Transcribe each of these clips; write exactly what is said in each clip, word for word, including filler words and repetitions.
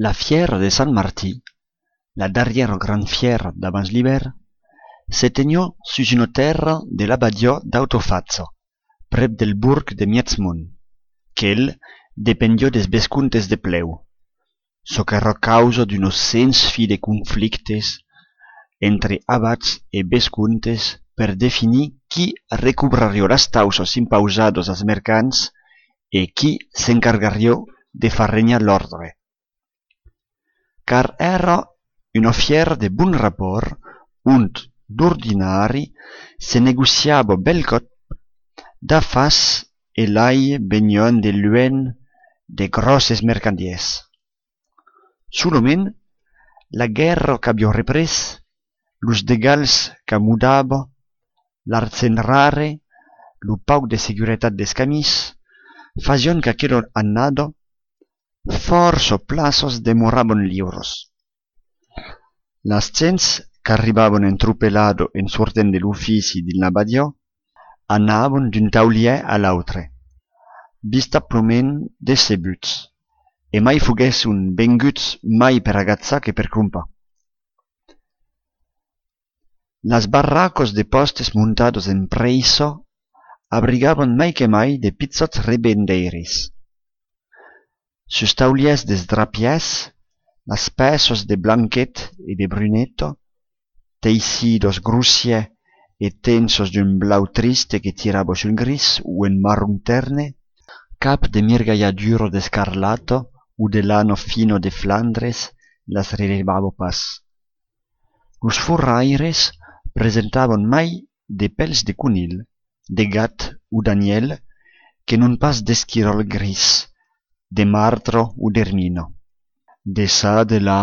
La fièra de Sant Martin, la darrièra grand fièra d'abans l'ivèrn, se teniá sus una tèrra de l'abadiá d'Autofacha, prèp del borg de Mièjmont, quel dependiá des vescomtes de Plèu, çò qu'èra causa d'una sens fi de conflictes entre abats e vescomtes per definir qui recobrariá las tauças impausadas als mercants e qui s'encargariá de far regnar l'òrdre. Car èra una fièra de bon rapòrt, ont d'ordinari se negociava bèlcòp d'afars e lai venián de luènh de gròsses mercandièrs. Solament, la guèrra qu'aviá représ, los degals qu'amodava, l'argent rare, lo pauc de seguretat dels camins, fasián qu'aquela annada, fòrça plaças demoravan liuras. Las gents qu'arribavan en tropelada en sortent de l'ofici dins l'abadiá anavan d'un taulièr a l'autre, vistablament decebuts, e mai foguèsson venguts mai per agachar que per crompar. Las barracas de pòstes montadas en pressa abrigavan mai que mai de pichòts revendeiris. Sus taulièrs dels drapièrs, las pèças de Blanquet e de Bruneta, teissidas grossièr e tensas d'un blau triste que tirava sul gris o en marron tèrne, cap de mirgalhadura d'escarlata o de lana fina de Flandres las relevava pas. Los forraires presentavan mai de pèls de conilh, de gat o d'anièl que non pas d'esquiròl gris, de martra o d'ermina. De çà de là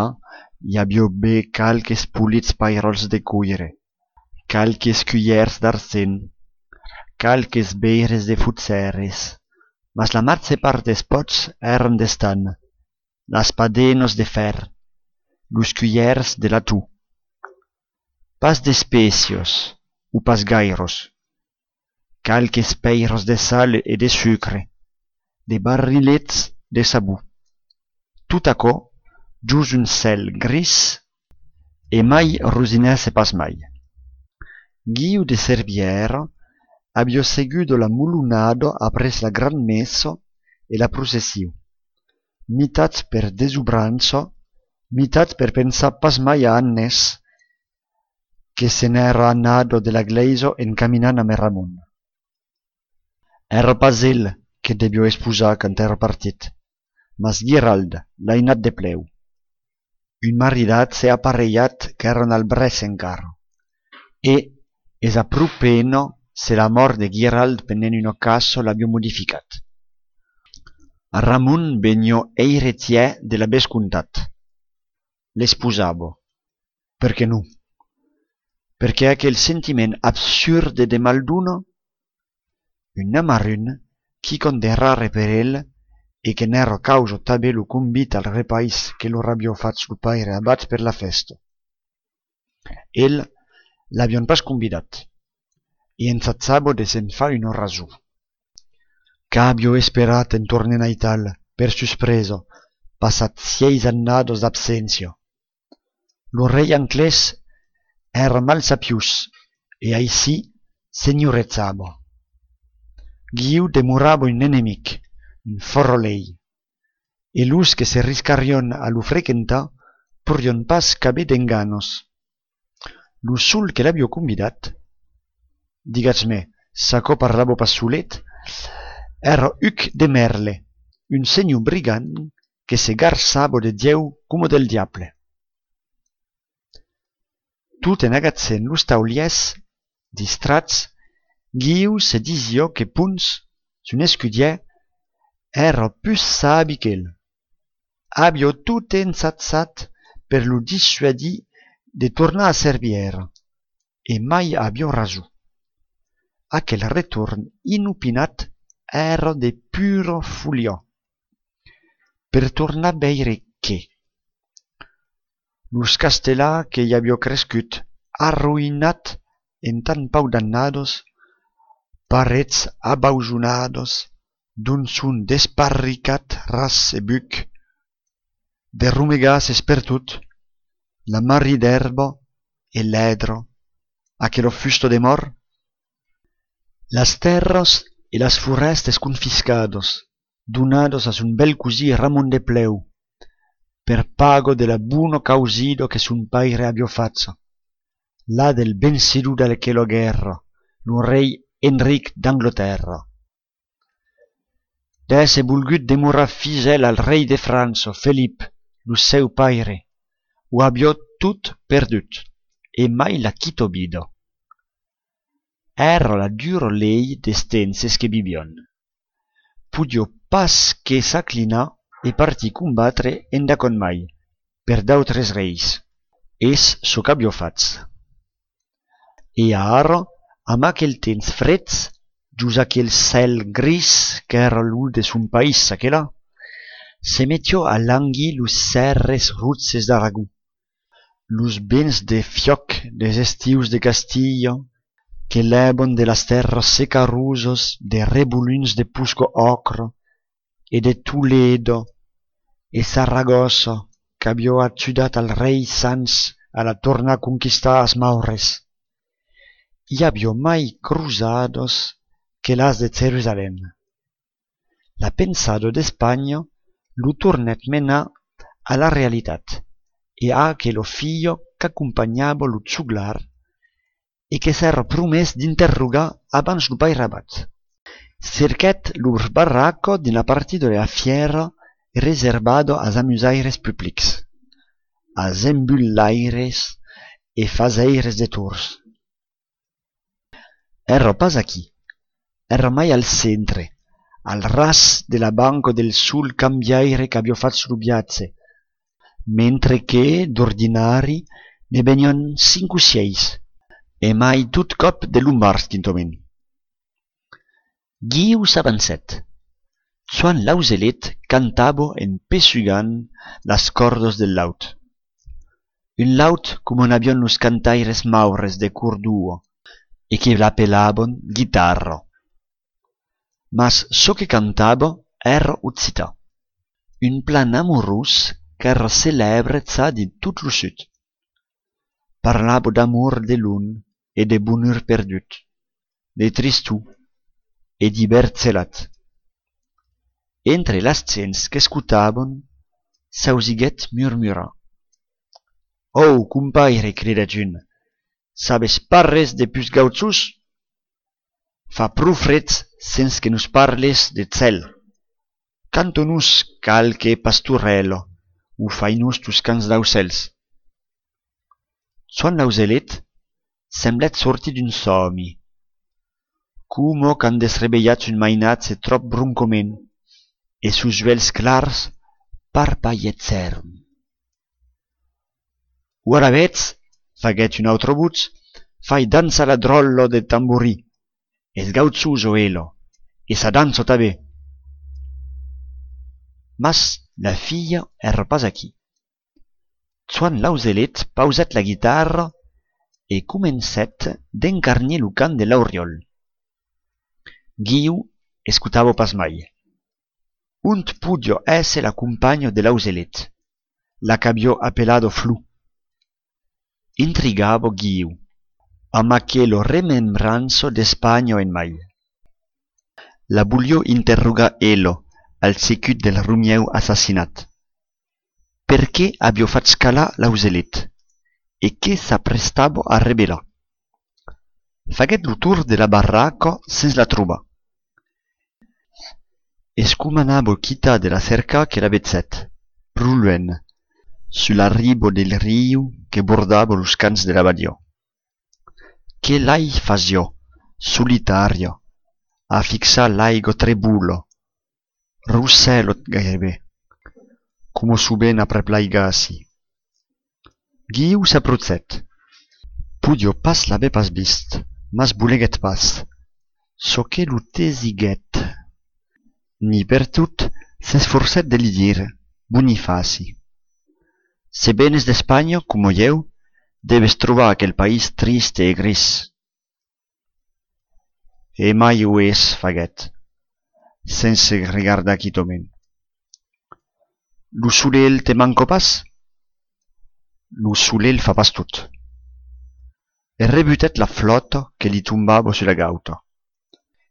i aviá ben qualques polits pairòls de coire, qualques culhèrs d'argent, qualques veires de fotzeres, mas la màger part dels pòts èran d'estanh, las padenas de fèr, los culhèrs de laton. Pas d'espècias, o pas gairas. Qualques pèiras de sal e de sucre, de barrilets de sabon. Tot aquò jos un cèl gris e mai rosinèsse pas mai. Guiu de Cervièra aviá seguda la molonada après la grand messa e la procession, mitat per desobrança, mitat per pensar pas mai a Agnès, que se n'èra anada de la glèisa en caminant amb Ramon. Èra pas el que deviá esposar quand èra partit, mas Guirald, l'ainat de Plèu. Un maridatge aparelhat qu'èra al brèç encara, e es a pro pena se la mòrt de Guirald pendent una caça l'aviá modificat. Ramon veniá eiretièr de la vescomtat. L'esposava. Perqué non? Perqué aquel sentiment absurd de maldona? Un amarun, quicòm de rare per el, e que n'èra causa tanben lo convit al repais que lor aviá fach lo paire abat per la fèsta. El, l'avián pas convidat, e ensajava de se'n far una rason. Qu'aviá esperat en tornent aital, per suspresa, passat sièis annadas d'abséncia. Lo rei anglés èra malsapiós e aicí senhorejava. Guiu demorava un enemic, un forrolèir, e los que se riscarián a lo frequentar porián pas qu'aver d'enganas. Lo sol que l'aviá convidat, digatz-me, s'aquò parlava pas solet, èra Huc de Merle, un senhor brigand que se garçava de Dieu coma del diable. Tot en agachent los taulièrs, distrach, Guiu se disiá que Pons, son escudièr, èra pus sabi qu'el. Aviá tot ensajat per lo dissuadir de tornar a Cervièra, e mai aviá rason. Aquel retorn inopinat èra de pura foliá. Per tornar veire qué? Los castellans que i aviá crescut, arroïnats en tan pauc d'annadas, parets abausonadas, d'ont son desparricats ras e buc, de romegasses pertot, la marri d'èrba e lèdra, aquela fusta de mòrt? Las tèrras e las forèstas confiscadas, donadas a son bèl cosin Ramon de Plèu, per paga de la bona causida que son paire aviá facha, la del vencidor d'aquela guèrra, lo rei Enric d'Anglatèrra. D'èsser volgut demorar fisèl al rei de França, Felip, lo seu paire, o aviá tot perdut, e mai la quita vida. Èra la dura lei des tempses que vivián. Podiá pas que s'aclinar e partir combatre endacòm mai, per d'autres reis. Es çò qu'aviá fach. E ara, amb aquel temps freg, jos aquel cèl gris qu'èra lo de son país çaquelà, se metiá a langir los sèrres roges d'Aragon, los vents de fiòc des estius de Castilha que lèvan de las tèrras secarosas de rebolins de posca òcra e de Tolèdo e Saragòssa qu'aviá ajudat al rei Sanç a la tornar conquistar as Maures. I aviá mai crosadas que las de Jerusalèm. La pensada d'Espanha lo tornèt menar a la realitat e a aquela filha qu'acompanhava lo joglar e que s'èra promés d'interrogar abans lo pairabat. Cerquèt lor barraca dins la partida de la fièra reservada as amusaires publics, as embulaires e fasaires de torns. Èra pas aquí, èra mai al centre, al ras de la banca del sol cambiaire qu'aviá fach lo viatge, mentre que, d'ordinari, ne venián cinc o sièis, e mai tot còp de lombards quintament. Guiu s'avancèt. Joan l'auselet cantava en pessugant las còrdas del laut. Un laut coma n'avián los cantaires maures de Cordòva e que l'apelavan guitarra. Mas çò que cantava èra occitan, un plan amorós qu'èra celèbre ja dins tot lo sud. Parlava d'amor de lon e de bonur perdut, de tristor e d'ivèrn gelat. Entre las gents qu'escotavan, s'ausiguèt murmurar: «Ò, compaire», cridèt un, «sabes pas res de pus gauchós? Fa pro freg sens que nos parles de cèl. Canta-nos qualque pastorèla o fai-nos tos cants d'aucèls.» Joan l'auselet semblèt sortir d'un sòmi, coma quand desrevelhatz un mainatge tròp broncament, e sos uèlhs clars parpalhegèron. «O alavetz», faguèt una autra votz, «fai dançar la dròlla de tamborin. Es gauchosa, ela, e sa dança tanben.» Mas la filha èra pas aquí. Joan l'auselet pausèt la guitarra e comencèt d'encarnir lo cant de l'auriòl. Guiu escotava pas mai. Ont podiá èsser la companha de l'auselet, la qu'aviá apelada Flor? Intrigava Guiu, amb aquela remembrança d'Espanha en mai. La voliá interrogar ela al secut del romièu assassinat. Perqué aviá fach calar l'auselet e que s'aprestava a revelar? Faguèt lo torn de la barraca sens la trobar. Es coma anava quitar de la cercar que la vegèt, pro luènh, sus la riba del riu que bordava los camps de la badiá. Que lai fasiá, solitària, a fixar l'aiga trebola, rossèla gaireben, coma sovent aprèp l'aigassi. Guiu s'aprochèt. Podiá pas l'aver pas vist, mas boleguèt pas. Çò que lo tesiguèt. Ni pertot s'esforcèt de li dire: «Bonifaci, se venes d'Espanha, coma ieu, deves trobar aquel país triste e gris.» «E mai o es», faguèt, sens se regardar quitament. Lo solelh te manca pas? Lo solelh fa pas tot. E rebutèt la flòta que li tombava sus la gauta.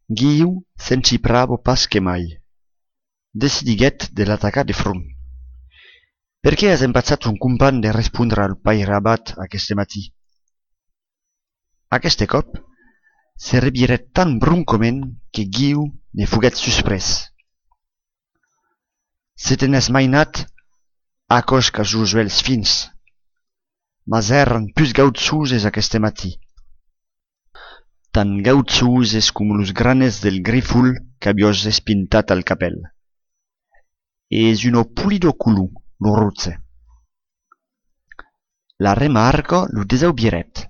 Guiu se'n chiprava pas que mai. Decidiguèt de l'atacar de front. Perqué as empachat ton companh de respondre al paire abat aqueste matin? Aqueste còp, se revirèt tan broncament que Guiu ne foguèt susprés. Se te n'ès mainat, aquò's qu'as los uèlhs fins. Mas èran pus gauchoses aqueste matin. Tan gauchoses coma los granets del grifol qu'aviás espintat al capèl. Es una polida color, lo roge. La remarca lo desaubirèt.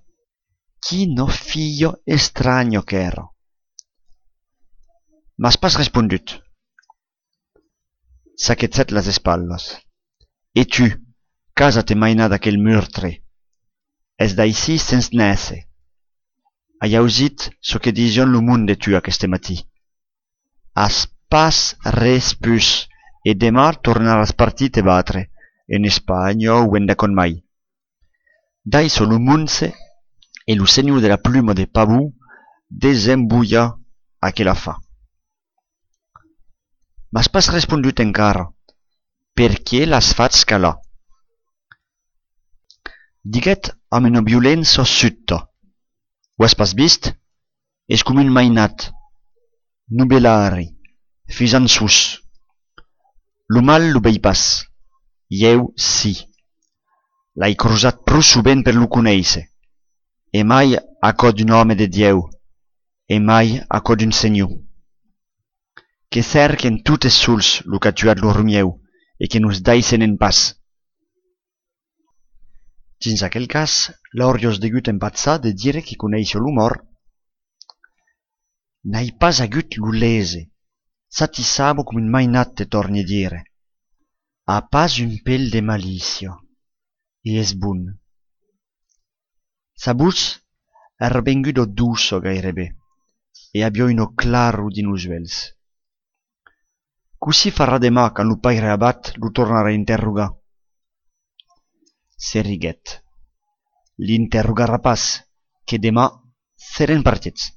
Quina filha estranha qu'èra! M'as pas respondut. Saquegèt las espatlas. E tu, qu'as a te mainar d'aquel murtre? Es d'aicí sens néisser. Ai ausit çò que disián lo monde de tu aqueste matin. As pas res pus, e deman tornaràs partir te batre, en Espanha o endacòm mai. Daissa lo monge e lo senhor de la pluma de pavon desembolhar aquel afar. M'as pas respondut encara. Perqué l'as fach calar? Diguèt amb una violença subta. O as pas vist? Es coma un mainat. Novelari, fisançós. Lo mal lo vei pas. Ieu, si. L'ai crosat pro sovent per lo conéisser. E mai a cò d'un òme de Dieu. E mai a cò d'un senhor. Que cèrquen totes sols lo qu'a tuat lo Romieu e que nos daissenen pas. Dins aquel cas, l'auriás degut empachar de dire que coneissiá lo mòrt. N'ai pas agut lo léser. S'atissava coma un mainat, te tòrni dire. A pas un pel de malícia. E es bon. Sa votz èra venguda doça gaireben e aviá una claror dins los uèlhs. Cossí farà deman quand lo paire abat lo tornarà interrogar? Se riguèt. L'interrogarà pas, que deman serem partits.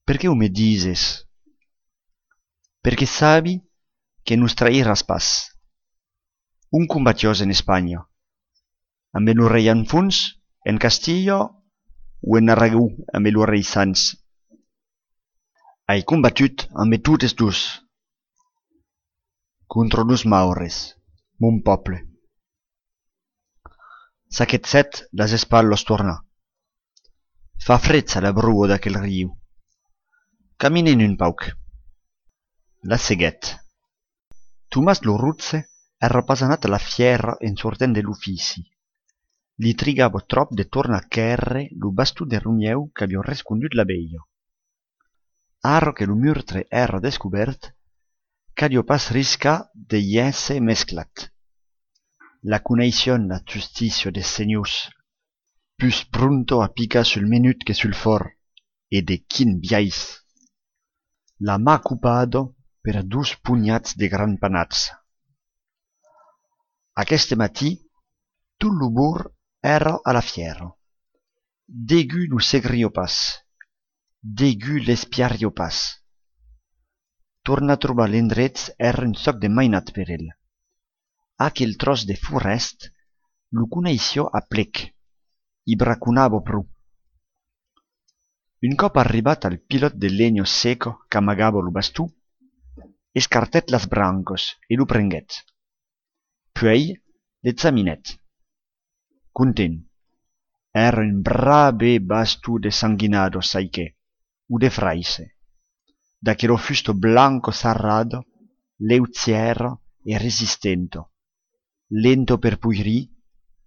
Perqué o me dises? Perque sabi que nos trairàs pas. Ont combatiás en Espanha? Ambe lo rei Alfons, en Castilha, o en Aragon ambe lo rei Sanç? Ai combatut ambe totes dos. Contra los maures, mon pòble. Saquegèt las espatlas, torna. Fa freg a la broa d'aquel riu. Caminem un pauc. La seguèt. Tomàs lo Rotge èra pas anat a la fièra en sortent de l'ofici. Li trigava tròp de tornar quèrre lo baston de Romieu qu'aviá rescondut la velha. Ara que lo murtre èra descobèrt, caliá pas riscar de i èsser mesclat. La coneissián, la justícia des senhors, pus pronta a picar sul menut que sul fòrt, e de quin biais! La man copada per dos ponhats de grands panats. Aqueste matin, tot lo borg èra a la fièra. Degun lo seguiriá pas. Degun l'espiariá pas. Tornar trobar l'endrech èra un tòc de mainat per el. Aquel tròç de forèst lo coneissiá a plec, i braconava pro. Un còp arribat al pilòt de lenha seca qu'amagava lo baston, escartèt las brancas e lo prenguèt. Puèi l'examinèt. Content. Èra un brave baston de sanguinada, sai que, o de fraisse. D'aquela fusta blanca sarrada, leugièra e resistenta, lenta per poirir,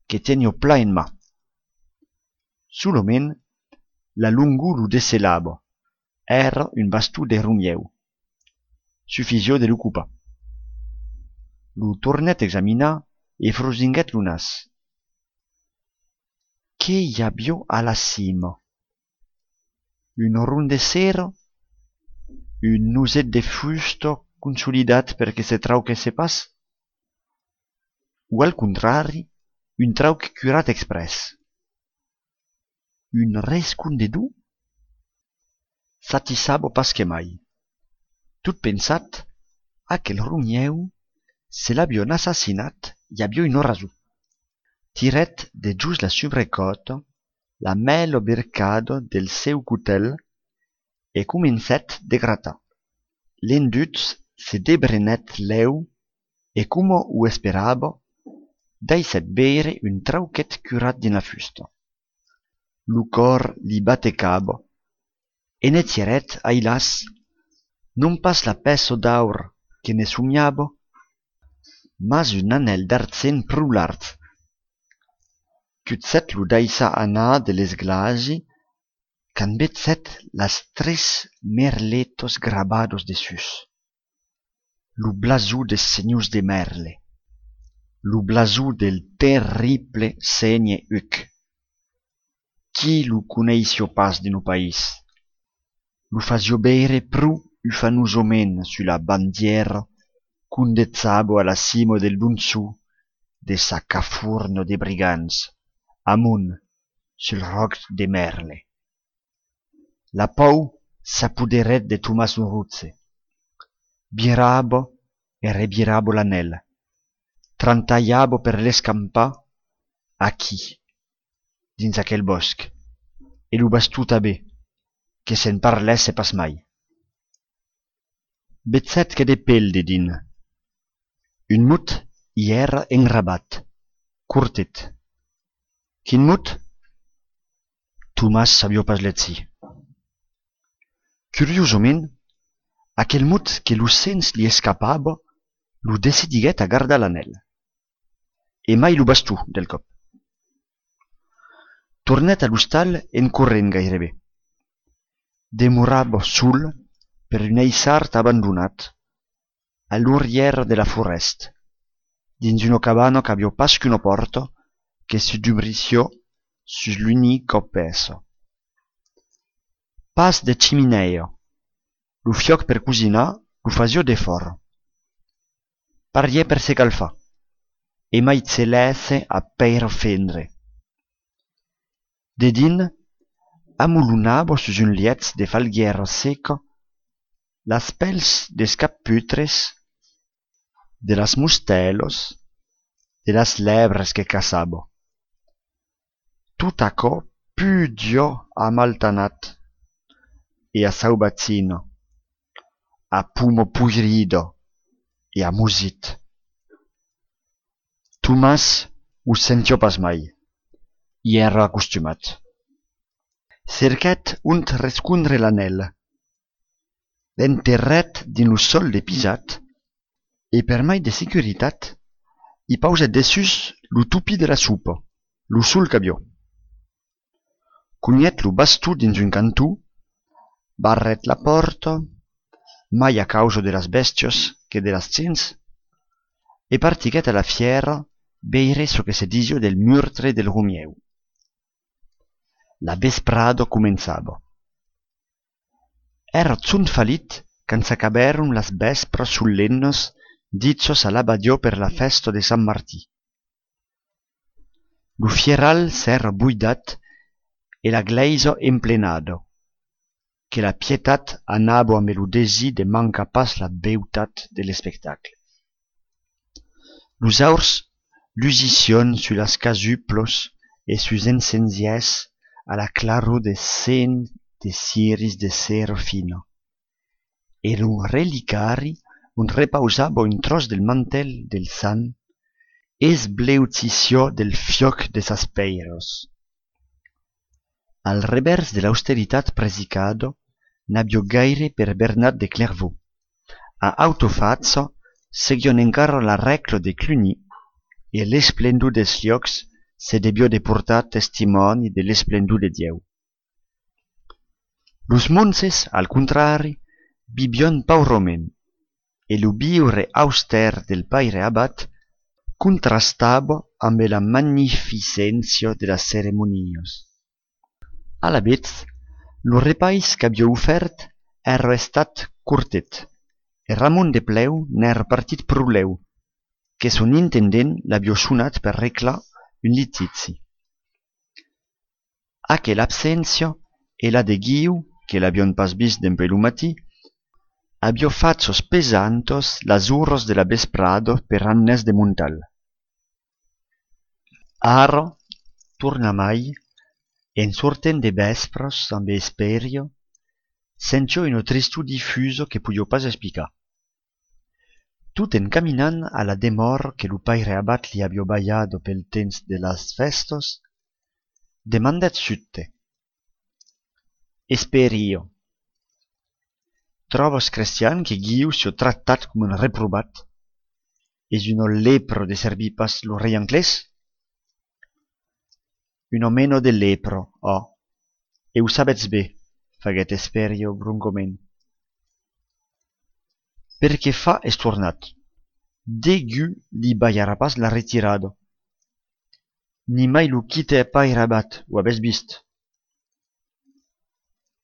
que teniá plan en man. Solament, la longor lo decelava, èra un baston de Romieu. Sufisiá de lo copar. Lo tornèt examinar e frosinguèt lo nas. Qué i aviá a la cima? Un rond de cera? Un noset de fusta consolidat per que se trauquèsse pas? o al contrari, un trauc curat exprès? Un rescondedor? S'atissava pas que mai. Tot pensat, aquel Romieu, se l'avián assassinat i aviá una rason. Tirèt dejós la subrecòta la mèla bercada del seu cotèl e comencèt de gratar. L'enduch se debrenèt lèu e, coma o esperava, daissèt veire un trauquet curat dins la fusta. Lo còr li batecava e ne tirèt, ailàs, non pas la pèça d'aur que ne somiava, mas un anèl d'argent pro larg. Cuchèt lo daissar anar de l'esglasi quand vegèt las tres merletas gravadas dessús. Lo blasor des senhors de Mèrle, lo blasor del terrible sénher Huc. Qui lo coneissiá pas dins lo país? Lo fasiá veire pro ufanosament sus la bandièra qu'ondejava a la cima del donjon de sa caforna de brigands, amont, sul ròc de Mèrle. La paur s'apoderèt de Tomàs lo Rotge. Virava e revirava l'anèl. Trantalhava per l'escampar aquí, dins aquel bòsc, e lo baston tanben, que se'n parlèsse pas mai. Vegèt que de pèl dedins. Un mot i èra engravat, cortet. Quin mot? Tomàs sabiá pas legir. Curiosament, aquel mot que lo sens li escapava lo decidiguèt a gardar l'anèl. E mai lo baston, del còp. Tornèt a l'ostal en corrent gaireben. Demorava sol per un aiçard abandonat, a l'orrièra de la forèsta, dins una cabana qu'aviá pas qu'una pòrta que se dubrissiá sus l'unica pèça. Pas de chiminèia. Lo fiòc per cosinar lo fasiá defòra. Parièr per se calfar, e mai se lèsse a pèira fendre. Dedins, amolonava sus un lièch de falguièra seca las pèls des capputres, de las mostèlas, de las lèbres que caçava. Tot aquò pudiá a Maltanat e a Sauvatgina, a poma poirida e a Mosit. Tomàs o sentiá pas mai, i èra acostumat. Cerquèt ont rescondre l'anèl. L'enterrèt dins lo sòl de pisat e, per mai de securitat, i pausèt dessús lo topin de la sopa, lo sol qu'aviá. Conhèt lo baston dins un canton, barrèt la pòrta, mai a causa de las bèstias que de las gents, e partiguèt a la fièra veire çò que se disiá del murtre del Romieu. La vesprada començava. Èra jorn falit quand s'acabèron las vèspras solemnas dichas a l'abadiá per la fèsta de Sant Martin. Lo fieral s'èra boidat e la glèisa emplenada, que la pietat anava ambe lo desir de mancar pas la beutat de l'espectacle. Los aurs lusissián sus las casuplas e sus encensièrs a la claror de cent de ciris de cera fina, e lo relicari ont repausava un tròç del mantèl del sant esbleuchissiá del fiòc de sas pèiras. Al revèrs de l'austeritat presicada, n'aviá gaire per Bernat de Clervaux. A auta facha seguián encara la règla de Cluny, e l'esplendor dels liòcs se deviá de portar testimòni de l'esplendor de Dieu. Los monges, al contrari, vivián paurament, e lo viure austèr del paire abat contrastava ambe la magnificéncia de las ceremonias. Alavetz, lo repais qu'aviá ofèrt èra estat cortet, e Ramon de Plèu n'èra partit pro lèu, que son intendent l'aviá sonat per reclar un litigi. Aquela abséncia e la de Guiu, que l'avián pas vist dempuèi lo matin, aviá fachas pesantas las oras de la vesprada per Agnès de Montal. Ara, tornamai, en sortent de vèspras ambe Esperio, sentiá una tristor difusa que podiá pas explicar. Tot en caminant a la demòra que lo paire abat li aviá balhada pel temps de las fèstas, demandèt subte: Esperio, tròbas, Crestian, que Guiu siá tractat coma un reprovat? Es una lepra de servir pas lo rei anglés? Una mena de lepra, ò. E o sabètz ben, faguèt Esperio broncament. Per qué fa es tornat. Degun li balharà pas la retirada. Nimai lo quite paire abat, o avètz vist.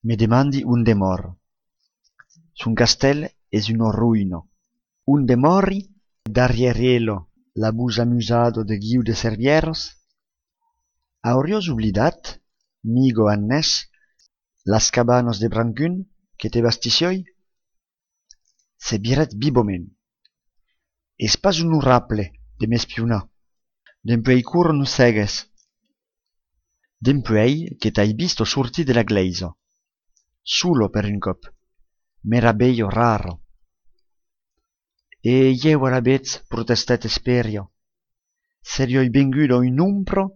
Me demandi on demòra. Son castèl es una roïna. On demòri? Darrièr ela, la votz amusada de Guiu de Servièras? Auriás oblidat, miga Agnès, las cabanas de Brancun que te bastissiái? Se virèt vivament. Es pas onorable de m'espionar. Dempuèi quora nos segues? Dempuèi que t'ai vista sortir de la glèisa. Sola per un còp. Meravelha rara. E ieu alavetz, protestèt Esperio, seriái venguda una ombra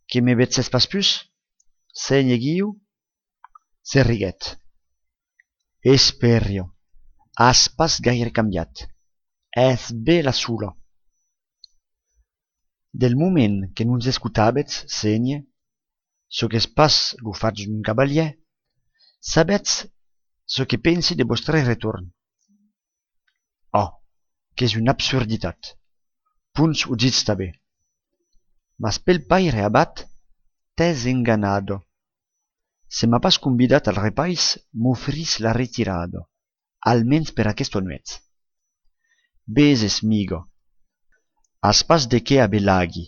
que me vegèsse pas pus? Sénher Guiu? Se riguèt. Esperio, as pas gaire cambiat. Ès bèla sola. Del moment que nos escotabètz, Sénher, çò qu'es pas lo fach d'un cavalièr, sabètz çò que pensi de vòstre retorn? Ò, qu'es una absurditat. Ponch o ditz tanben. Mas pel paire abat, t'ès enganada. Se m'a pas convidat al repais, m'ofrís la retirada, almens per aquesta nuèch. Veses, miga, as pas de qué aver lagi.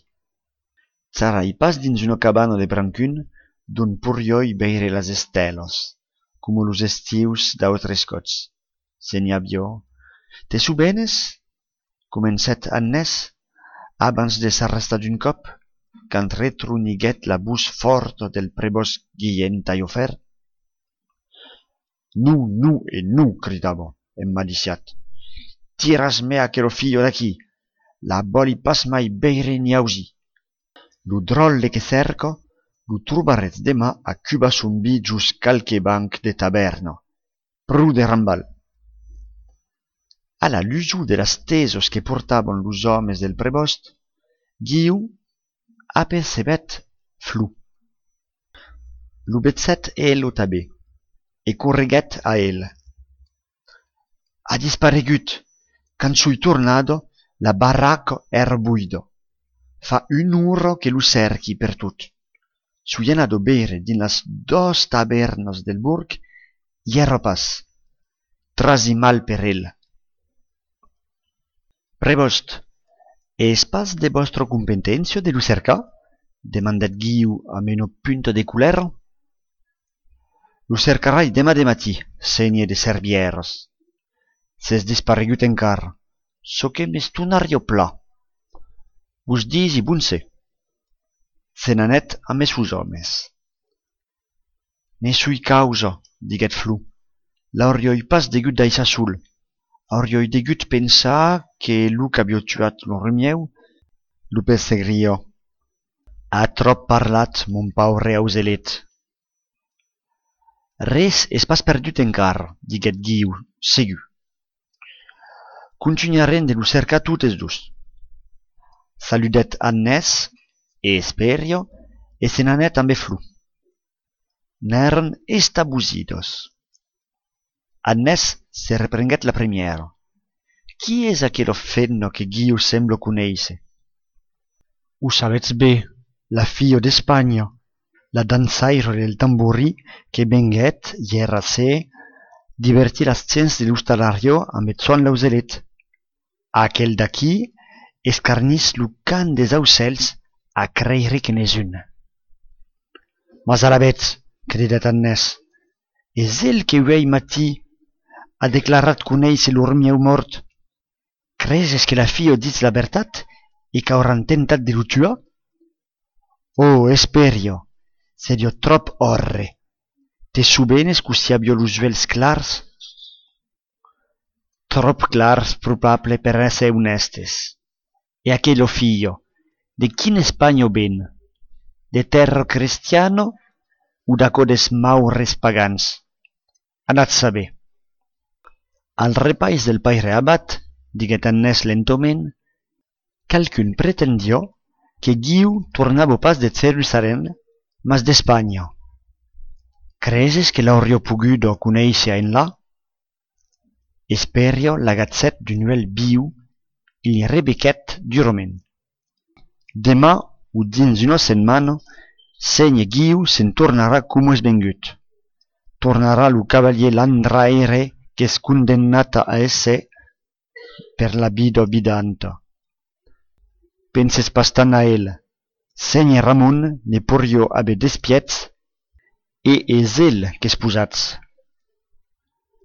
Charai pas dins una cabana de Brancun dont porriái veire las estèlas, coma los estius d'autres còps. Se n'i aviá. Te sovenes? Comencèt Agnès, abans de s'arrestar d'un còp, quand retroniguèt la votz fòrta del prevòst Guilhèm Talhafèrre. Non, non e non, cridava, emmaliciat. Tiratz-me aquela filha d'aquí! La vòli pas mai veire ni ausir. Lo dròlle que cèrca, lo trobaretz deman a cubar son vin jos qualque banc de tavèrna. Pro de rambalh! A la lusor de las tesas que portavan los òmes del prevòst, Guiu apercebèt Flo. Lo vegèt ela tanben e correguèt a el. A disparegut. Quand soi tornada, la barraca èra voida. Fa una ora que lo cèrqui pertot. Soi anada veire dins las doas tavèrnas del borg, i èra pas. Trasi mal per el. Prevòst, es pas de vòstra competéncia de lo cercar? Demandèt Guiu amb una punta de colèra. Lo cercarai deman de matin, sénher de Servièras. S'es disparegut encara, çò que m'estonariá plan. Vos disi bon ser. Se n'anèt ambe sos òmes. Ne soi causa, diguèt Flo. L'auriái pas degut daissar sol. Auriái degut pensar que lo qu'aviá tuat lo rumièu lo persegriá. A tròp parlat, mon paure auselet. Res es pas perdut encara, diguèt Guiu, segur. Contunharem de lo cercar totes dos. Saludèt Agnès e Esperio e se n'anèt ambe Flo. N'èran estabosidas. Agnès se reprenguèt la primièra. Qui es aquela femna que Guiu sembla conéisser? O sabètz ben, la filha d'Espanha, la dançaira del tamborin que venguèt ièr a ser divertir las gents de l'ostalariá ambe Joan l'auselet. Aquel d'aquí escarnís lo cant des aucèls a creire que n'es un. Mas alavetz, cridèt Annès, es el que uèi matin a declarat conéisser lor mieu mòrt. Creses que la filha ditz la vertat e qu'auràn tentat de lo tuar? Oh, Espèria, seriá tròp òrre. Te sovenes cossí aviá los uèlhs clars? Tròp clars, probable, per èsser onèstes. E aquela filha, de quina Espanha ven? De tèrra crestiana o d'aquò des maures pagans? Anatz saber. Al repais del paire abat, diguèt Annès lentament, qualqu'un pretendiá que Guiu tornava pas de Jerusalèm, mas d'Espanha. Creses que l'auriá poguda conéisser enlà? Espèria l'agachèt d'un uèlh viu e li rebequèt durament. Deman o dins una setmana, sénher Guiu se'n tornarà coma es vengut. Tornarà lo cavalièr landraire qu'es condemnat a èsser per la vida vidanta. Penses pas tant a el. Sénher Ramon ne poiriá aver despièch e es el qu'es posat.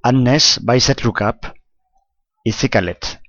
Annès baissèt lo cap e se calèt.